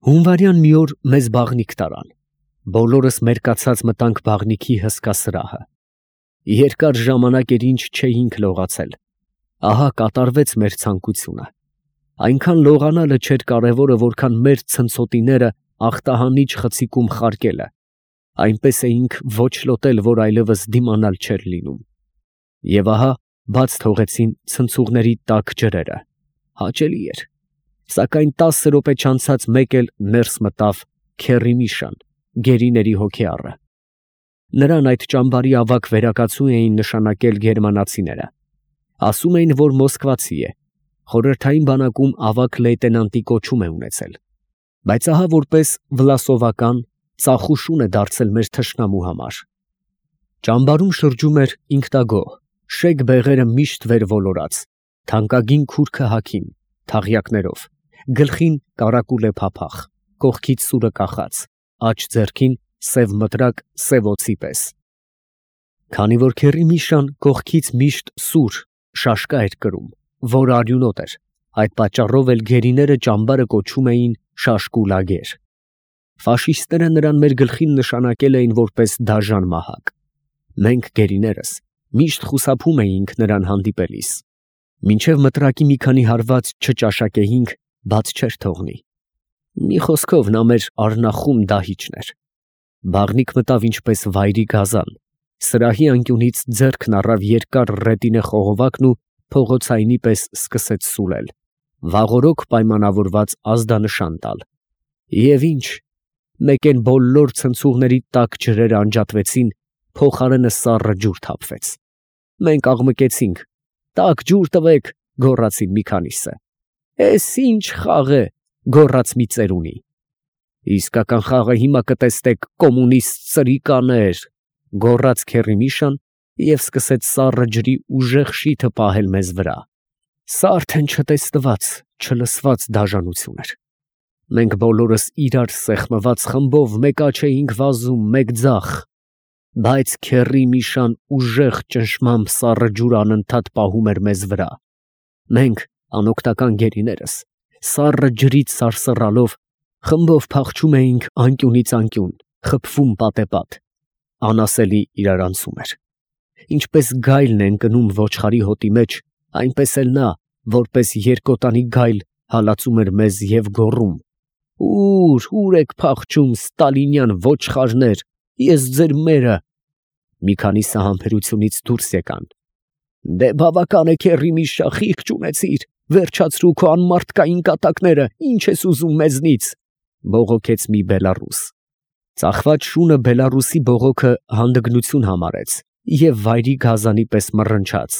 Հունվարյան մի օր մեզ բաղնիք տարան, բոլորս մերկացած մտանք բաղնիքի հսկա սրահը, երկար ժամանակ էր ինչ չէինք լողացել, ահա կատարվեց մեր ցանկությունը, այնքան լողանալը չէր կարևորը, որքան մեր ցնցոտիները աղտահանիչ խցիկում խարկելը, այնպես էինք ոչ լոտել, որ այլևս դիմանալ չէր լինում, և ահա բաց թողեցին ցնցուղների տաք ջրերը, հաճելի էր. Սակայն 10 րոպե չանցած մեկ էլ ներս մտավ Քեռի Միշան, գերիների հոգեառը. նրան այդ ճամբարի ավագ վերակացու էին նշանակել գերմանացիները, ասում էին, որ մոսկվացի է, խորհրդային բանակում ավագ լեյտենանտի կոչում է ունեցել, բայց ահա որպես վլասովական ծախու շուն է դարձել մեր թշնամու համար. ճամբարում շրջում էր ինքնագոհ, շեկ բեղերը միշտ վեր ոլորած, թանկագին քուրքը հագին, թաղյակներով, գլխին կարակուլե փափախ, կողքից սուրը կախած, աջ ձեռքին սև մտրակ սև օձի պես. Քանի որ Քեռի Միշան կողքից միշտ սուր շաշկա էր կրում, որ արյունոտ էր, այդ պատճառով էլ գերիները ճամբարը կոչում էին շաշկու լագեր. ֆաշիստները նրան մեր գլխին նշանակել էին որպես դաժան մահակ, մենք գերիներս միշտ խուսափում էինք նրան հանդիպելիս, մինչև մտրակի մի քանի հարված չճաշակեինք, բաց չէր թողնի, մի խոսքով նա մեր առնախում դահիճն էր, բաղնիք մտավ ինչպես վայրի գազան, սրահի անկյունից ձեռքն առավ երկար ռետինե խողովակն ու փողոցայինի պես սկսեց սուլել, վաղօրոք պայմանավորված ազդանշան տալ, և ինչ, մեկ են բոլոր ցնցուղների տաք ջրերը անջատվեցին, փոխարենը սառը ջուր թափվեց, մենք աղմկեցինք, տաք ջուր տվեք, գոռացին մի քանիսը, էս ինչ խաղ է, գոռաց մի ծերունի, իսկական խաղը հիմա կտեսնեք, կոմունիստ սրիկաներ, գոռաց Քեռի Միշան և սկսեց սառը ջրի ուժեղ շիթը պահել մեզ վրա, սա արդեն չտեսնված, չլսված դաժանություն էր, մենք բոլորս իրար սեղմված խմբով մեկ աջ էինք վազում, մեկ ձախ, բայց Քեռի Միշան ուժեղ ճնշմամբ սառը ջուր անընդհատ պահում էր մեզ վրա, մենք անօգնական գերիներս, սառը ջրից սարսռալով, խմբով փախչում էինք անկյունից անկյուն, խփվում պատեպատ, անասելի իրարանցում էր, ինչպես գայլն է ընկնում ոչխարի հոտի մեջ, այնպես էլ նա, որպես երկոտանի գայլ, հալածում էր մեզ և գոռում. «Ուր եք փախչում, ստալինյան ոչխարներ, ես ձեր մերը», մի քանիսը համբերությունից դուրս եկան. «Դե բավական է Քեռի Միշա, խիղճ չունեցիր, վերջացրու քո անմարդկային կատակները, ինչ ես ուզում մեզնից», բողոքեց մի բելառուս, ծախված շունը բելառուսի բողոքը հանդգնություն համարեց և վայրի գազանի պես մռնչաց.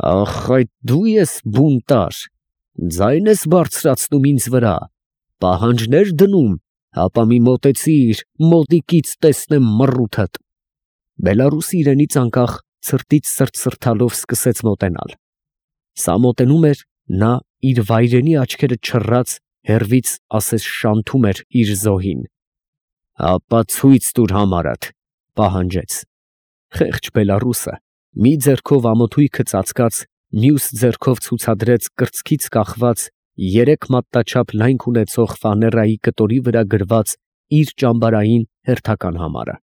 «Ախ, այդ դու ես բունտար, ձայն ես բարձրացնում ինձ վրա, պահանջներ դնում, հապա մի մոտեցիր, մոտիկից տեսնեմ մռութդ», բելառուսը իրենից անկախ ցրտից սրտսրտալով սկսեց մոտենալ, սա մոտենում էր, նա իր վայրենի աչքերը չռած հեռվից ասես շանթում էր իր զոհին, «հապա ցույց տուր համարդ», պահանջեց, խեղճ բելառուսը մի ձեռքով ամոթույքը ծածկած, մյուս ձեռքով ցուցադրեց կրծքից կախված 3 մատնաչափ լայնք ունեցող ֆաներայի կտորի վրա գրված իր ճամբարային հերթական համարը,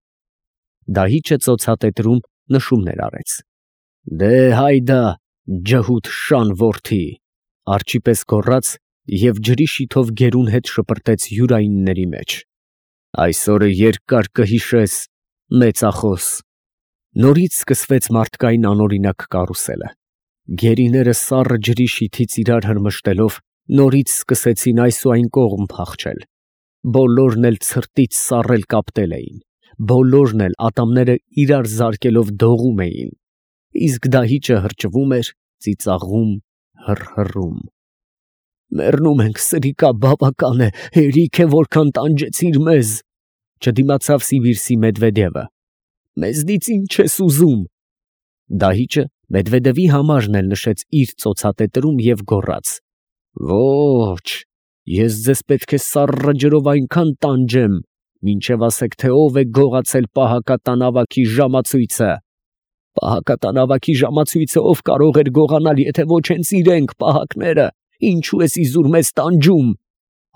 դահիճը ծոցատետրում նշումներ արեց. «Դե հայդա, ջհուդ շան որդի», արջի պես գոռաց և ջրի շիթով գերուն հետ շպրտեց յուրայինների մեջ, «այս օրը երկար կհիշես, մեծախոս», նորից սկսվեց մարդկային անօրինակ կարուսելը, գերիները սառը ջրի շիթից իրար հրմշտելով, նորից սկսեցին այս ու այն կողմ փախչել, բոլորն էլ ցրտից սառել կապտել էին, բոլորն էլ ատամները իրար զարկելով դողում էին, իսկ դահիճը հրճվում էր, ծիծաղում, հռհռում. «Մեռնում ենք, սրիկա, բավական է, հերիք է, որքան տանջեցիր մեզ», չդիմացավ Սիվիրսի Մեդվեդևը, «մեզնից ինչ ես ուզում», դահիճը Մեդվեդևի համարն էլ նշեց իր ծոցատետրում և գոռաց. «Ոչ, ես ձեզ պետք է սառը ջրով այնքան տանջեմ, մինչև ասեք, թե ով է գողացել պահակատան ավագի ժամացույցը, պահակատան ավագի ժամացույցը ով կարող էր գողանալ, եթե ոչ հենց իրենք, պահակները, ինչու ես իզուր մեզ տանջում»,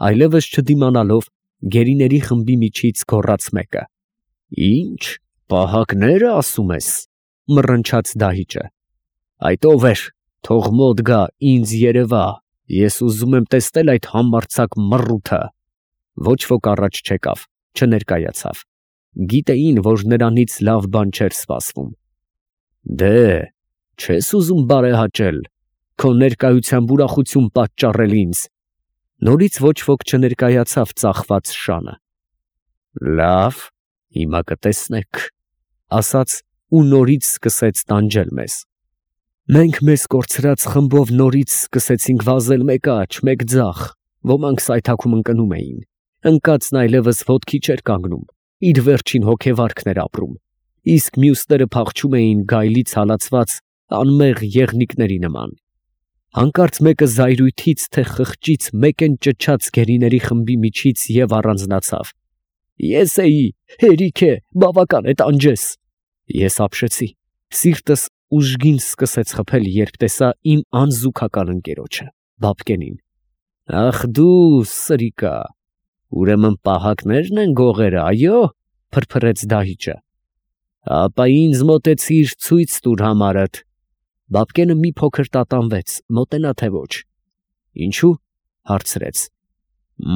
այլևս չդիմանալով գերիների խմբի միջից գոռաց մեկը. «Ի՞նչ, պահակները ասում ես», մռնչաց դահիճը։ «Այդ ով էր, թող մոտ գա, ինձ երևա, ես ուզում եմ տեսնել այդ համարձակ մռութը»։ Ոչ ոք առաջ չեկավ, չներկայացավ։ Գիտեին, որ նրանից լավ բան չէր սպասվում։ «Դե, չես ուզում բարեհաճել, քո ներկայությամբ ուրախություն պատճառել ինձ»։ Նորից ոչ ոք չներկայացավ ծախված շանը։ «Լավ, հիմա կտեսնեք», ասաց ու նորից սկսեց տանջել մեզ։ Մենք մեզ կորցրած խմբով նորից սկսեցինք վազել մեկ աջ, մեկ ձախ, ոմանք սայթաքում ընկնում էին, ընկածն այլևս ոտքի չէր կանգնում, իր վերջին հոգեվարքն էր ապրում, իսկ մյուսները փախչում էին գայլից հալածված անմեղ եղնիկների նման։ Հանկարծ մեկը զայրույթից թե խղճից մեկեն ճչաց գերիների խմբի միջից և առանձնացավ։ «Ես էի, հերիք է, բավական է, տանջես»։ Ես ապշեցի, սիրտս ուժգին սկսեց խփել, երբ տեսա իմ անզուգական ընկերոջը, Բաբկենին։ «Ախ դու, սրիկա, ուրեմն պահակներն են գողերը, այո՞», փրփրեց դահիճը։ «Ապա ինձ մոտեցիր, ցույց տուր համարդ»։ Բաբկենը մի փոքր տատանվեց, մոտենա թե ոչ։ «Ինչու՞», հարցրեց։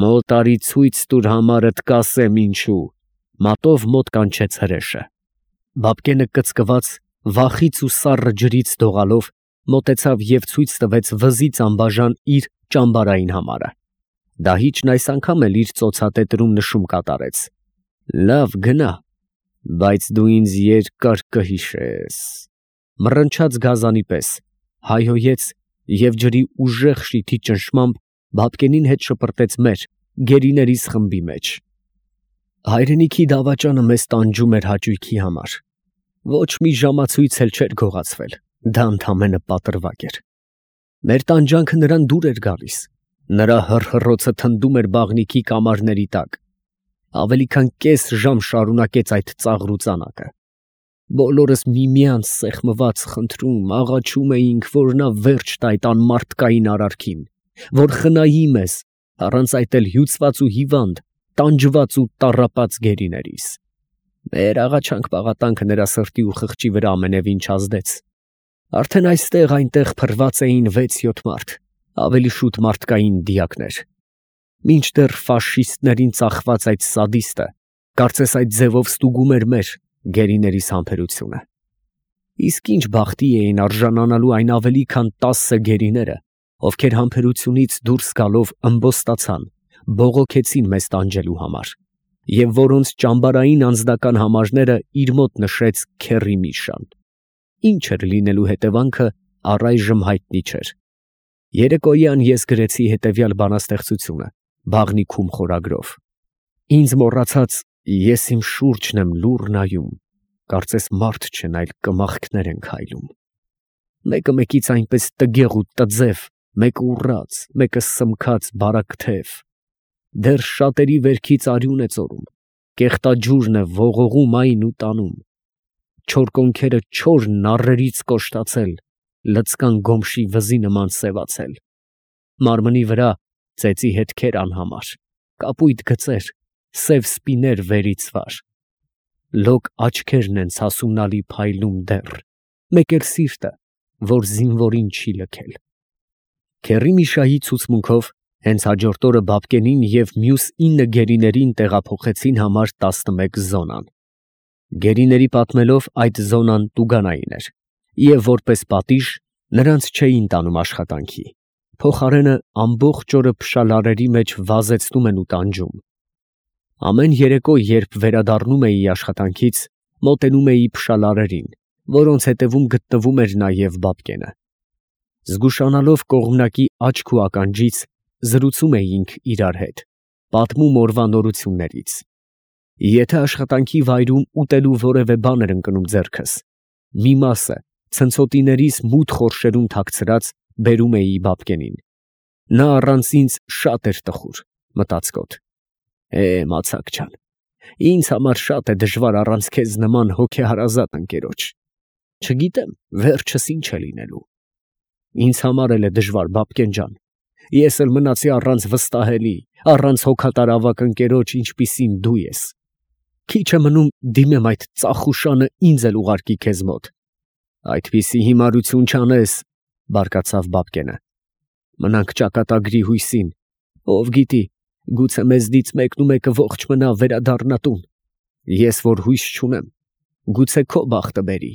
«Մոտ արի ցույց տուր համարդ, կասեմ ինչու», մատով մոտ կանչեց հրեշը։ Բաբկենը կծկված, վախից ու սառը ջրից դողալով մոտեցավ և ցույց տվեց վզից անբաժան իր ճամբարային համարը։ Դահիճն այս անգամ էլ իր ծոցատետրում նշում կատարեց։ «Լավ, գնա, բայց դու ինձ երկար կհիշես», մռնչաց գազանի պես, հայհոյեց և ջրի ուժեղ շիթի ճնշմամբ Բաբկենին հետ շպրտեց մեր գերիներիս խմբի մեջ։ Հայրենիքի դավաճանը մեզ տանջում էր հաճույքի համար։ Ոչ մի ժամացույց էլ չէր գողացվել, դա ընդամենը պատրվակ էր։ Մեր տանջանքը նրան դուր էր գալիս, նրա հռհռոցը թնդում էր բաղնիքի կամարների տակ։ Ավելի քան կես ժամ շարունակեց այդ ծաղրուծանակը։ Բոլորս միմյանց սեղմված խնդրում, աղաչում էինք, որ նա վերջ տա այդ անմարդկային արարքին, որ խնայի մեզ, առանց այդ էլ հյուծված ու հիվանդ, տանջված ու տառապած գերիներիս։ Մեր աղաչանք-պաղատանքը նրա սրտի ու խղճի վրա ամենևին չազդեց։ Արդեն այստեղ-այնտեղ փռված էին 6-7 մարդ, ավելի շուտ մարդկային դիակներ։ Մինչդեռ ֆաշիստներին ծախված այդ սադիստը, կարծես այդ ձևով ստուգում էր մեր գերիներիս համբերությունը։ Իսկ ինչ բախտի էին արժանանալու այն ավելի քան 10 գերիները, ովքեր համբերությունից դուրս գալով ըմբոստացան, բողոքեցին մեզ տանջելու համար, և որոնց ճամբարային անձնական համարները իր մոտ նշեց Քեռի Միշան։ Ինչ էր լինելու հետևանքը, առայժմ հայտնի չէր։ Երեկոյան ես գրեցի հետևյալ բանաստեղծությունը բաղնիքում խորագրով. «Ինձ մոռացած ես իմ շուրջն եմ լուռ նայում, կարծես մարդ չեն, այլ կմախքներ են քայլում։ Մեկը մեկից այնպես տգեղ ու տձև, մեկը ուռած, մեկը սմքած բարակ թև։ Դեռ շատերի վերքից արյուն է ծորում, կեղտաջուրն է ողողում այն ու տանում։ Չոր կոնքերը չոր նառերից կոշտացել, լցկան գոմշի վզի նման սևացել։ Մարմնի վրա ծեծի հետքեր անհամար, կապույտ գծեր, սև սպիներ վերից վար։ Լոկ աչքերն են ցասունալի փայլում դեռ, մեկ էլ սիրտը, որ զինվորին չի լքել»։ Քեռի Միշայի ցուցմունքով հենց հաջորդ օրը Բաբկենին և մյուս 9 գերիներին տեղափոխեցին համար 11 զոնան։ Գերիների պատմելով այդ զոնան Տուգանային էր, և որպես պատիժ նրանց չէին տանում աշխատանքի, փոխարենը ամբողջ օրը փշալարերի մեջ վազեցնում են ու տանջում։ Ամեն երեկո, երբ վերադառնում էի աշխատանքից, մոտենում էի փշալարերին, որոնց հետևում գտնվում էր նաև Բաբկենը։ Զգուշանալով կողմնակի աչք ու ականջից, զրուցում էինք իրար հետ, պատմում օրվա նորություններից։ Եթե աշխատանքի վայրում ուտելու որևէ բան էր ընկնում ձեռքս, մի մասը ցնցոտիներիս մութ խորշերում թաքցրած բերում էի Բաբկենին։ Նա առանց ինձ շատ էր տխուր, մտածկոտ։ Մացակ ջան, ինձ համար շատ է դժվար առանց քեզ նման հոգեհարազատ ընկերոջ։ Չգիտեմ վերջս ինչ է լինելու։ Ինձ համար էլ է դժվար, Բաբկեն ջան, Ես էլ մնացի առանց վստահելի, առանց հոգատար ավակ ընկերոջ, ինչպիսին դու ես։ Քիչ է մնում դիմեմ այդ ծախուշանը ինձ էլ ուղարկի քեզ մոտ։ Այդպիսի հիմարություն չանես, բարկացավ Բաբկենը։ Մնանք ճակատագրի հույսին, ով գիտի, գուցե մեզնից մեկնումեկը ողջ մնա վերադառնա տուն։ Ես որ հույս չունեմ, գուցե քո բախտը բերի,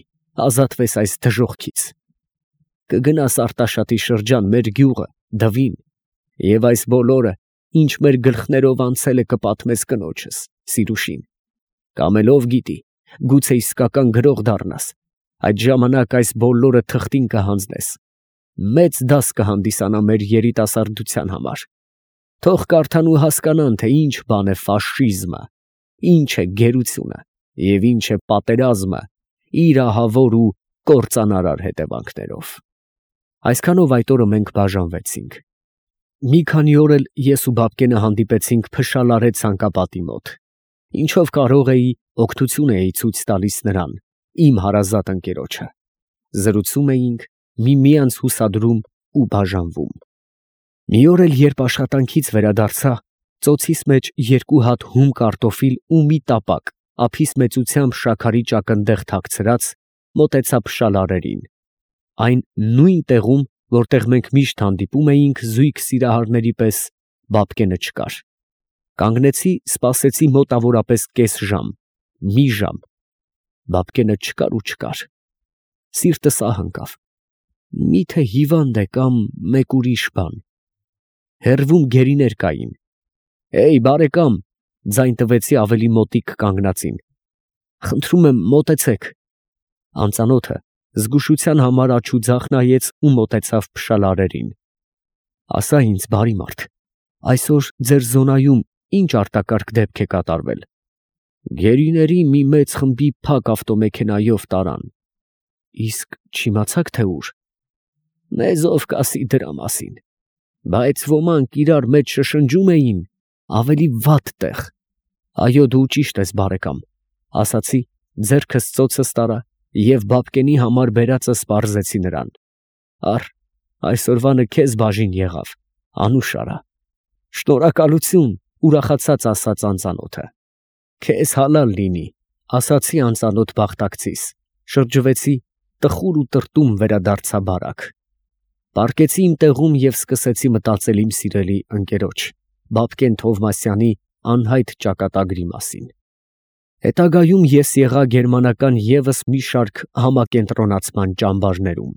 ազատվես այս դժոխքից։ Կգնաս Արտաշատի շրջան մեր գյուղը, Դվին, եւ այս բոլորը, ինչ մեր գլխներով անցել է, կպատմես կնոջս, Սիրուշին։ Կամ էլ ով գիտի, գուցե իսկական գրող դառնաս, այդ ժամանակ այս բոլորը թղթին կհանձնես, մեծ դաս կհանդիսանա մեր երիտասարդության համար։ Թող կարդան ու հասկանան, թե ինչ բան է ֆաշիզմը, ինչ է գերությունը և ինչ է պատերազմը իր ահավոր ու կործանարար հետևանքներով։ Այսքանով այդ օրը մենք բաժանվեցինք։ Մի քանի օր էլ ես ու Բաբկենը հանդիպեցինք Փշալարե ցանկապատի մոտ, ինչով կարող էի, օգնություն էի ցույց տալիս նրան, իմ հարազատ ընկերոջը։ Զրուցում էինք, միմյանց հուսադրում ու բաժանվում։ Մի օր էլ, երբ աշխատանքից վերադարձա, ծոցիս մեջ 2 հատ հում կարտոֆիլ ու մի տապակ ափիս մեծությամբ շաքարի ճակնդեղ թաքցրած, մոտեցա Փշալարերին, այն նույն տեղում, որտեղ մենք միշտ հանդիպում էինք զույգ սիրահարների պես, Բաբկենը չկար։ Կանգնեցի, սպասեցի մոտավորապես կես ժամ, մի ժամ։ Բաբկենը չկար ու չկար։ Սիրտս ահ ընկավ։ Միթե հիվանդ է կամ մեկ ուրիշ բան։ Հեռվում գերիներ կային։ «Էյ, բարեկամ», ձայն տվեցի ավելի մոտիկ կանգնածին։ «Խնդրում եմ, մոտեցեք»։ Անծանոթը զգուշության համար աջուձախ նայեց ու մոտեցավ Փշալարերին։ «Ասա ինձ, բարի մարդ, այսօր ձեր զոնայում ինչ արտակարգ դեպք է կատարվել»։ «Գերիների մի մեծ խմբի փակ ավտոմեքենայով տարան»։ «Իսկ չիմացաք թե ուր»։ «Մեզ ով կասի դրա մասին, բայց ոմանք իրար մեջ շշնջում էին, ավելի վատ տեղ»։ «Այո, դու ճիշտ ես, բարեկամ», ասացի, ձեռքս ծոցս տարա և Բաբկենի համար բերածս պարզեցի նրան։ «Առ, այսօրվանը քեզ բաժին եղավ, անուշ արա»։ «Շնորհակալություն», ուրախացած ասաց անծանոթը։ «Քեզ հալալ լինի», ասացի անծանոթ բախտակցիս, շրջվեցի, տխուր ու տրտում վերադարձա բարակ։ Պառկեցի իմ տեղում և սկսեցի մտածել իմ սիրելի ընկերոջ, Բաբկեն Թովմասյանի անհայտ ճակատագրի մասին։ Հետագայում ես եղա գերմանական ևս մի շարք համակենտրոնացման ճամբարներում։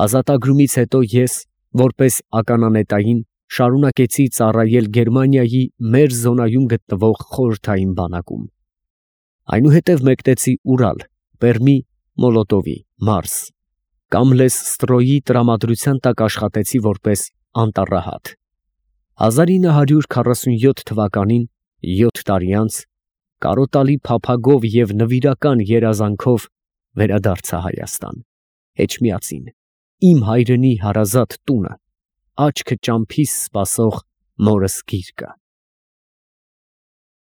Ազատագրումից հետո ես, որպես ականանետային, շարունակեցի ծառայել Գերմանիայի մեր զոնայում գտնվող խորհրդային բանակում։ Այնուհետև մեկնեցիՈւրալ, Պերմի, Մոլոտովի, Մարս, Կամլես֊Ստրոյի տրամադրության տակ աշխատեցի որպես անտառահատ։ 1947 թվականին, 7 տարի անց, կարոտալի փափագով և նվիրական երազանքով վերադարձա Հայաստան, Էջմիածին, իմ հայրենի հարազատ տունը, աչքը ճամփիս սպասող մորս գիրկը։